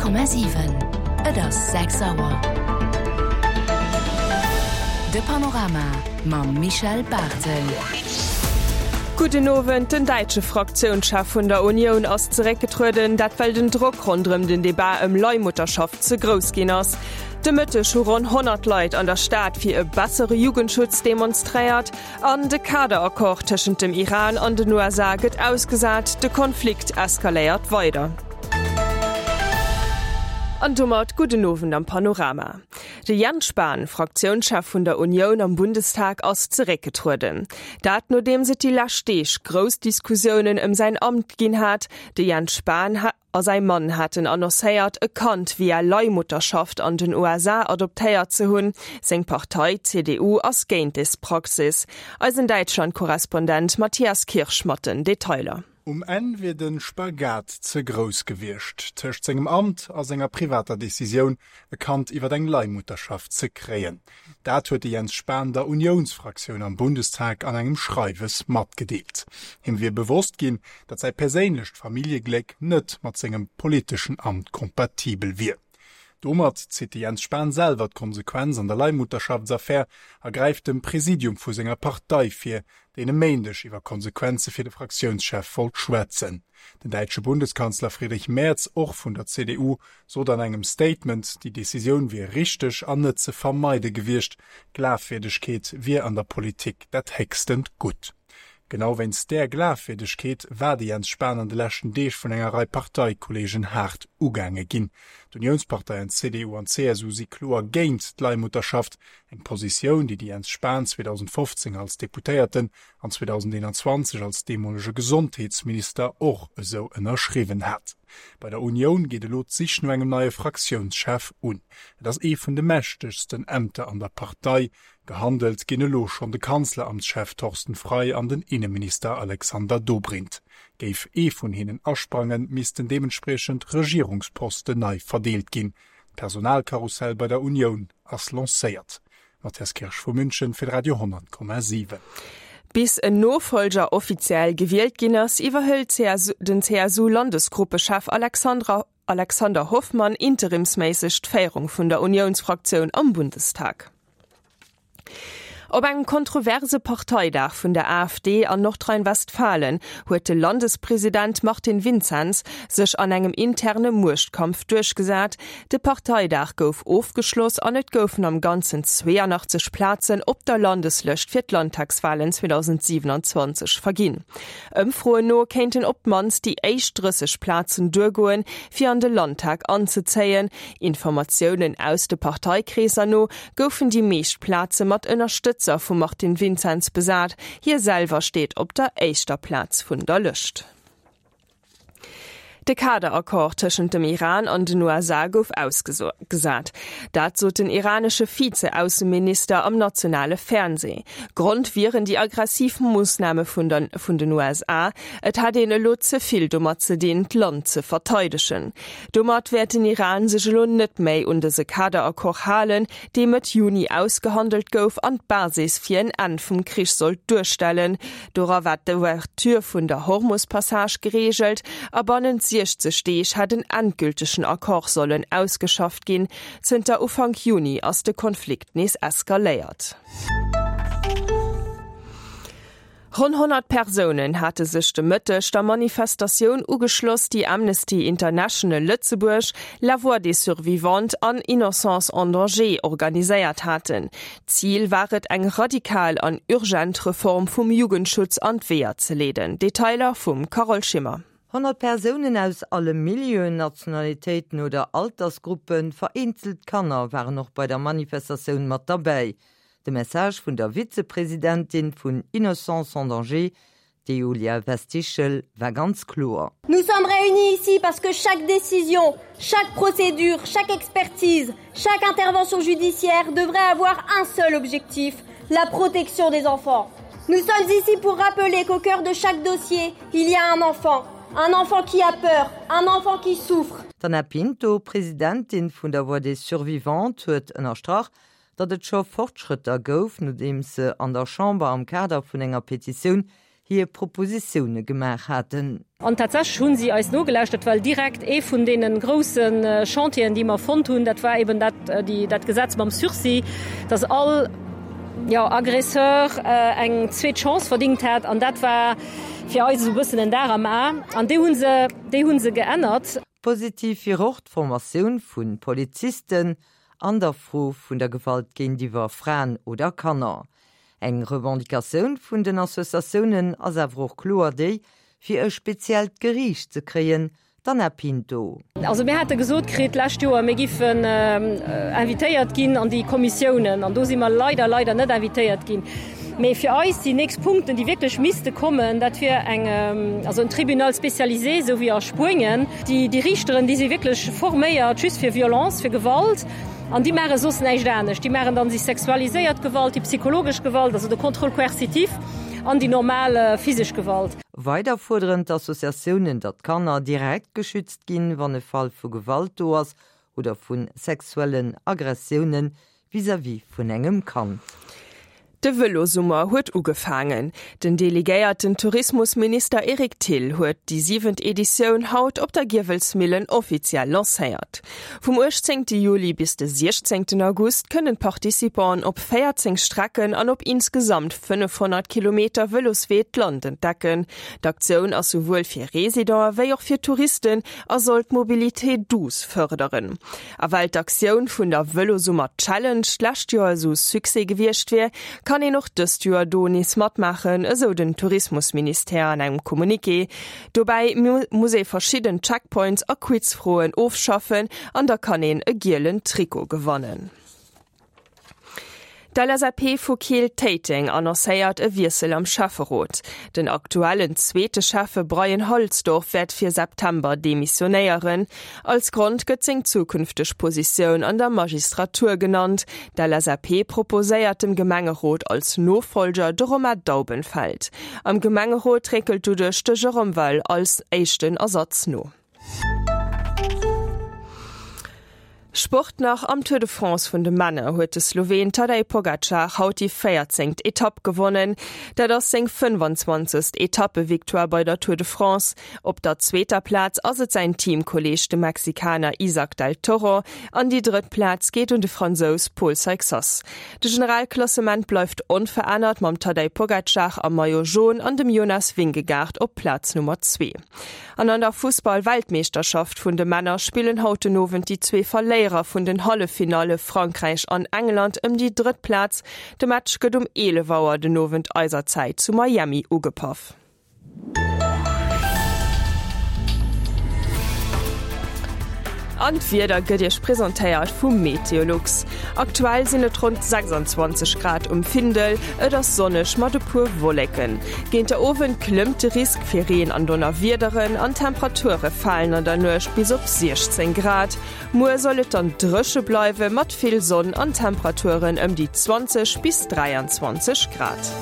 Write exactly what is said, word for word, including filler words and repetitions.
Honnert Komma siwen, Et ass sechs Auer. De Panorama mam Michel Barthel. Gudden Owend, Den däitsche Fraktiounschef vun der Unioun ass zeréckgetrueden, dat well den Drock ronderëm den Debat ëm Leihmutterschaft ze grouss ginn ass. De Mëtteg hu ronn honnert Leit an der Stad fir e bessere Jugendschutz demonstréiert. An de Kaderaccord tëschent dem Iran an den U S A gëtt ausgesat, de Konflikt eskaléiert weider. An domat gudden Owend am Panorama. De Jens Spahn, Fraktiounschef vun der Unioun am Bundestag, ass zeréckgetrueden. Dat nodeems et déi lescht Deeg grouss Diskussiounen ëm säin Amt ginn hat. De Jens Spahn a säi Mann haten annoncéiert, e Kand via Leihmutterschaft an den U S A adoptéiert ze hunn. Seng Partei C D U ass géint des Praxis. Eisen Däitschland-Korrespondent Matthias Kirsch mat den Detailer. Um Enn wier de Spagat ze grouss gewiescht, tëscht sengem Amt a senger privater Decisioun, e Kand iwwer eng Leihmutterschaft ze kréien. Dat huet de Jens Spahn der Unionsfraktioun am Bundestag an engem Schreiwes matgedeelt. Him wier bewosst ginn, datt säi perséinlecht Familljegléck net mat sengem politeschen Amt kompatibel wier. Domat zitt de Jens Spahn selwer d'Konsequenz an der Leihmutterschaftsaffär a gräift dem Präsidium vu senger Partei fir, deen e Méindeg iwwer Konsequenze fir de Fraktiounschef wollt schwätzen. Den däitsche Bundeskanzler Friedrich Merz, och vun der C D U, sot an engem Statement, déi Decisioun wier richteg an net ze vermeide gewiescht. Glafwierdegkeet wier an der Politik dat héchstent Gutt. Genau wéinst där Glafwierdegkeet war de Jens Spahn an de leschten Deeg vun enger Rei Parteikollegen haart ugaange ginn. D'Unionsparteien C D U an C S U si kloer géint d'Leihmutterschaft, eng Positioun, déi de Jens Spahn zweedausendfofzéng als Deputéierten an zweedausendeenanzwanzeg als deemolege Gesondheetsminister och esou ënnerschriwwen hat. Bei der Unioun geet elo d'Sich no engem neie Fraktiounschef un. Et ass ee vun de mächtegsten Ämter an der Partei. Gehandelt ginn elo schonn de Kanzleramtschef Thorsten Frei an den Innenminister Alexander Dobrindt. Géif ee vun hinnen asprangen, missten deementspriechend Regierungsposten nei verdeelt ginn. D'Personalkarussell bei der Unioun ass lancéiert. Matthias Kirsch vu München fir Radio honnert Komma siwen. Bis en Nofolger offiziell gewielt ginn ass, iwwerhëlt C S U, den C S U-Landesgruppechef Alexandra, Alexander Hoffmann interimsméisseg d'Féierung vun der Unionsfraktioun am Bundestag. Op engem kontroverse Parteidag vun der A F D an Nordrhein-Westfalen huet de Landespräsident Martin Vincenz sech an engem interne Muechtkampf duerchgesat. De Parteidag gouf ofgeschloss an et goufen am Ganzen zweiundachtzeg Plazen op der Landeslëscht fir d'Landtagswahlen zweitausendsiebenundzwanzeg verginn. Ëmfroen no kéinten op d'mannst déi éischt drësseg Plazen duergoen, fir an de Landtag anzezéien. Informatiounen aus de Parteikreeser no goufen déi meescht Plaze mat Ënnerstëtzung vu Martin Vincenz besat. Hie selwer steet op der éischter Plaz vun der Lëscht. De Kaderaccord tëschent dem Iran an den U S A gouf ausgesat. Dat sot den iranesche Vize-Ausseminister am nationale Fernseh. Grond wieren déi aggressiv Moossname vun den, vun den U S A. Et hat een elo ze vill domat ze dinn, d'Land ze verteidegen. Domat wäert den Iran sech elo net méi un dëse Kaderaccord halen, dee Mëtt Juni ausgehandelt gouf an d'Basis fir en Enn vum Krich sollt duerstellen. Dora war d'Ouverture vun der Hormus-Passage geregelt a bannent siechzeg Deeg hat en endgültegen Accord sollen ausgeschafft ginn. Zënter Ufank Juni ass de Konflikt nees eskaléiert. Ronn honnert Persounen hatte sech de Mëtteg der Manifestatioun ugeschloss, déi Amnesty International Lëtzebuerg, La Voix des Survivantes an Innocence en Danger organiséiert haten. Ziel war et, eng radikal an urgent Reform vum Jugendschutz an d'Weeër ze leeden. Detailer vum Carole Schimmer. Honnert Persounen aus alle Milieuen, Nationalitéiten oder Altersgruppen, vereenzelt Kanner waren och bei der Manifestatioun mat dabei. De Message vun der Vizepräsidentin vun Innocence en Danger, de Julia Westichel, war ganz kloer. Nous sommes réunis ici parce que chaque décision, chaque procédure, chaque expertise, chaque intervention judiciaire devrait avoir un seul objectif, la protection des enfants. Nous sommes ici pour rappeler qu'au cœur de chaque dossier, il y a un enfant. Un enfant qui a peur, un enfant qui souffre. D'Anna Pinto, Präsidentin vun der Voix des Survivantes, huet ënnerstrach, datt et scho Fortschrëtter gouf, nodeem se an der Chamber am Kader vun enger Petitioun hir Propositioune gemaach haten. An tatsächlech hu si eis nogelauschtert, well direkt ee vun deene grousse Chantieren, déi mer fonnt hunn, dat war eben dat, déi, dat Gesetz mam Sursis, dass all, jo, Agresseur eng zweet Chance verdingt hätt. An dat war fir eis esou e bëssen en Dar am A. An déi hu se, déi hu se geännert. Positiv wier och d'Formatioun vu Polizisten an der Fro vun der Gewalt géintiwwer Fraen oder Kanner. Eng Revendicatioun vun den Associatiounen ass awer och kloer déi, fir e speziellt Geriicht ze kréien, d'Anna Pinto. Also mir hate gesot kritt d'lescht Joer, mir giffen invitéiert ginn an déi Kommissiounen, an do si mer leider, leider net invitéiert ginn. Mee fir eis déi nächst Punkten, déi wierklech misste kommen, dat wier eng, also en Tribunal spécialisé, esou wéi a Spuenien. Déi, déi Riichteren, déi si wierklech forméiert just fir Violence, fir Gewalt, an déi maache soss näischt anescht. Déi maachen dann déi sexualiséiert Gewalt, déi psychologesch Gewalt, also de Contrôle coercitif, an déi normal physesch Gewalt. Weider fuerderen d'Associatiounen, datt d'Kanner direkt geschützt ginn, wann e Fall vu Gewalt do ass oder vu sexuellen Agressioune vis-à-vis vun engem Kand. De Vëlosummer huet ugefaangen. Den delegéierten Tourismusminister Eric Thill huet déi siwent Editioun haut op der Giewelsmillen offiziell lancéiert. Vum uechtzéngte Juli bis de siechzéngten August kënnen d'Participanten op véierzéng Strecken an op insgesamt fënnefhonnert Kilometer Vëloswee d'Land entdecken. D'Aktioun ass souwuel fir Residenten wéi och fir Touristen a soll d'Mobilité douce fërderen. A well d'Aktioun vun der Vëlosummer Challenge d'lescht Joer esou Succès gewiescht wier, kann een och dëst Joer do nees matmaachen, esou den Tourismusministère an engem Communiqué. Dobäi muss ee verschidden Checkpoints a Quizfroen ofschaffen an da kann een e gielen Trikot gewannen. D'LSAP vu Keel-Téiteng annoncéiert e Wiessel am Schäfferot. Den aktuellen zweete Schäffe Brian Halsdorf wäert fir September demissionéieren. Als Grond gëtt seng zukünfteg Positioun an der Magistratur genannt. D'LSAP proposéiert dem Gemengerot als Nofollger de Romain Daubenfeld. Am Gemengerot réckelt doduerch de Jérôme Weill als éischten Ersatz no. Sport nach, Am Tour de France vun de Männer huet de Sloween Tadej Pogacar haut déi véierzéngt Etapp gewonnen. Dat ass seng fënnefanzwanzegst Etappevictoire bei der Tour de France. Op der zweeter Plaz ass et säin Teamkolleeg de Mexikaner Isaac del Toro an déi drëtt Plaz geet un de Fransous Paul Seixas. De Generalklassement bleift onverännert mam Tadej Pogacar am Maillot Jaune an dem Jonas Vingegaard op Plaz Nummer zwee. An an der Fussball-Weltmeeschterschaft vun de Männer spillen haut den Owend déi zwee Verléierer vun den Halleffinalle Frankräich an England ëm déi drëtt Plaz. De Match gëtt um eelef Auer den Owend eiser Zäit zu Miami ugepaff. An d'Wieder gëtt Iech presentéiert vu Meteolux. Aktuell sinn et ronn sechsundzwanzeg Grad um Findel, et ass sonneg mat e puer Wolleken. Géint der Owend klëmmt de Risk fir Reen an Donnerwiederen an d'Temperature falen an der Nuecht bis op siechzéng Grad. Muer soll et dann dréche bleiwe mat vill Sonn an Temperaturen ëm déi zwanzeg bis dräianzwanzeg Grad.